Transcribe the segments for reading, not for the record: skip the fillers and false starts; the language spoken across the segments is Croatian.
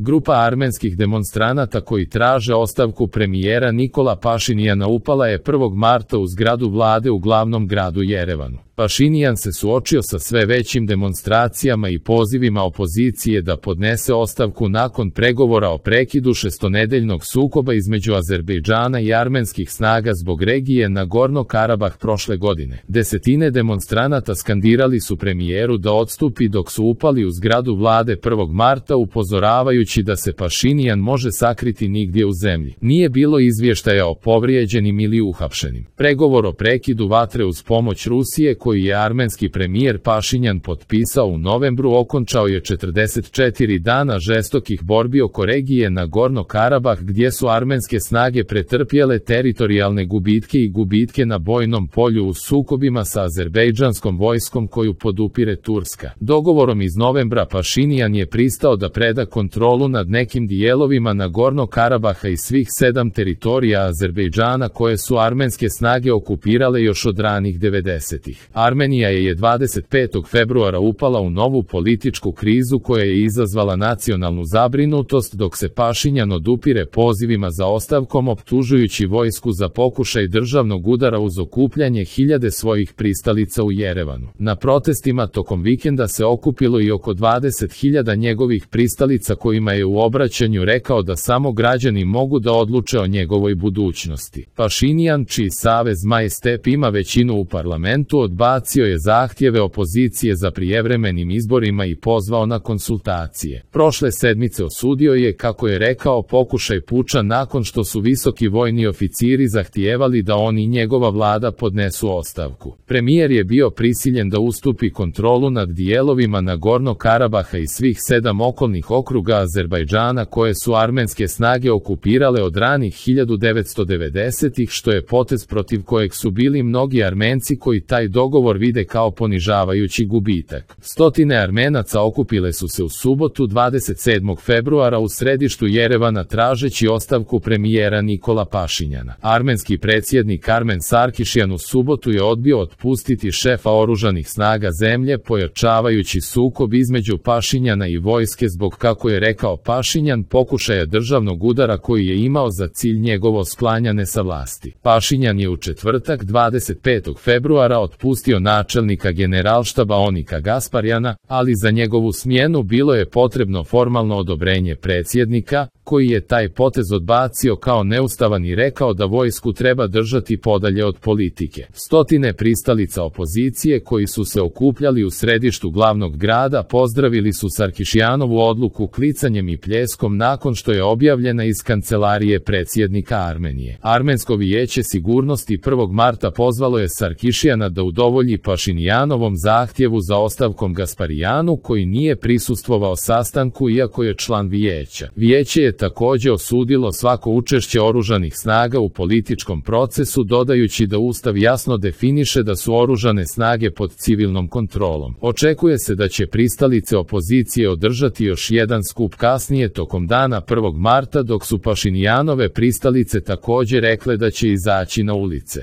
Grupa armenskih demonstranata koji traže ostavku premijera Nikola Pašinjana upala je 1. marta u zgradu vlade u glavnom gradu Jerevanu. Pašinjan se suočio sa sve većim demonstracijama i pozivima opozicije da podnese ostavku nakon pregovora o prekidu šestonedeljnog sukoba između Azerbejdžana i armenskih snaga zbog regije Nagorno-Karabah prošle godine. Desetine demonstranata skandirali su premijeru da odstupi dok su upali u zgradu vlade 1. marta upozoravajući da se Pašinjan može sakriti nigdje u zemlji. Nije bilo izvještaja o povrijeđenim ili uhapšenim. Pregovor o prekidu vatre uz pomoć Rusije koji je armenski premijer Pašinjan potpisao u novembru okončao je 44 dana žestokih borbi oko regije Nagorno-Karabah gdje su armenske snage pretrpjele teritorijalne gubitke i gubitke na bojnom polju u sukobima sa azerbejdžanskom vojskom koju podupire Turska. Dogovorom iz novembra Pašinjan je pristao da preda kontrolu nad nekim dijelovima Nagorno-Karabaha i svih 7 teritorija Azerbejdžana koje su armenske snage okupirale još od ranih 90-ih. Armenija je 25. februara upala u novu političku krizu koja je izazvala nacionalnu zabrinutost dok se Pašinjan odupire pozivima za ostavkom optužujući vojsku za pokušaj državnog udara uz okupljanje hiljade svojih pristalica u Jerevanu. Na protestima tokom vikenda se okupilo i oko 20.000 njegovih pristalica kojima je u obraćanju rekao da samo građani mogu da odluče o njegovoj budućnosti. Pašinjan, čiji savez Maj-Step ima većinu u parlamentu, odbacio je zahtjeve opozicije za prijevremenim izborima i pozvao na konsultacije. Prošle sedmice osudio je, kako je rekao, pokušaj puča nakon što su visoki vojni oficiri zahtijevali da on i njegova vlada podnesu ostavku. Premijer je bio prisiljen da ustupi kontrolu nad dijelovima Nagorno-Karabaha i svih 7 okolnih okruga Azerbejdžana koje su armenske snage okupirale od ranih 1990-ih, što je potez protiv kojeg su bili mnogi Armenci koji taj dogovor vide kao ponižavajući gubitak. Stotine Armenaca okupile su se u subotu 27. februara u središtu Jerevana tražeći ostavku premijera Nikola Pašinjana. Armenski predsjednik Armen Sarkišjan u subotu je odbio otpustiti šefa oružanih snaga zemlje, pojačavajući sukob između Pašinjana i vojske zbog, kako je rekao Pašinjan, pokušaja državnog udara koji je imao za cilj njegovo sklanjanje sa vlasti. Pašinjan je u četvrtak 25. februara otpustio načelnika generalštaba Onika Gasparjana, ali za njegovu smjenu bilo je potrebno formalno odobrenje predsjednika, koji je taj potez odbacio kao neustavan i rekao da vojsku treba držati podalje od politike. Stotine pristalica opozicije koji su se okupljali u središtu glavnog grada pozdravili su Sarkišjanovu odluku klicanjem i pljeskom nakon što je objavljena iz kancelarije predsjednika Armenije. Armensko vijeće sigurnosti 1. marta pozvalo je Sarkišjana da udovolji Pašinjanovom zahtjevu za ostavkom Gasparijanu koji nije prisustvovao sastanku iako je član vijeća. Vijeće je također osudilo svako učešće oružanih snaga u političkom procesu dodajući da Ustav jasno definiše da su oružane snage pod civilnom kontrolom. Očekuje se da će pristalice opozicije održati još jedan skup kasnije tokom dana 1. marta dok su Pašinjanove pristalice također rekle da će izaći na ulice.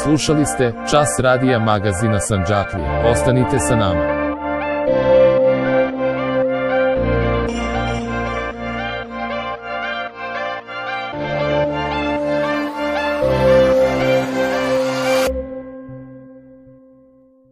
Slušali ste Čas radija magazina Sandžaklija. Ostanite sa nama.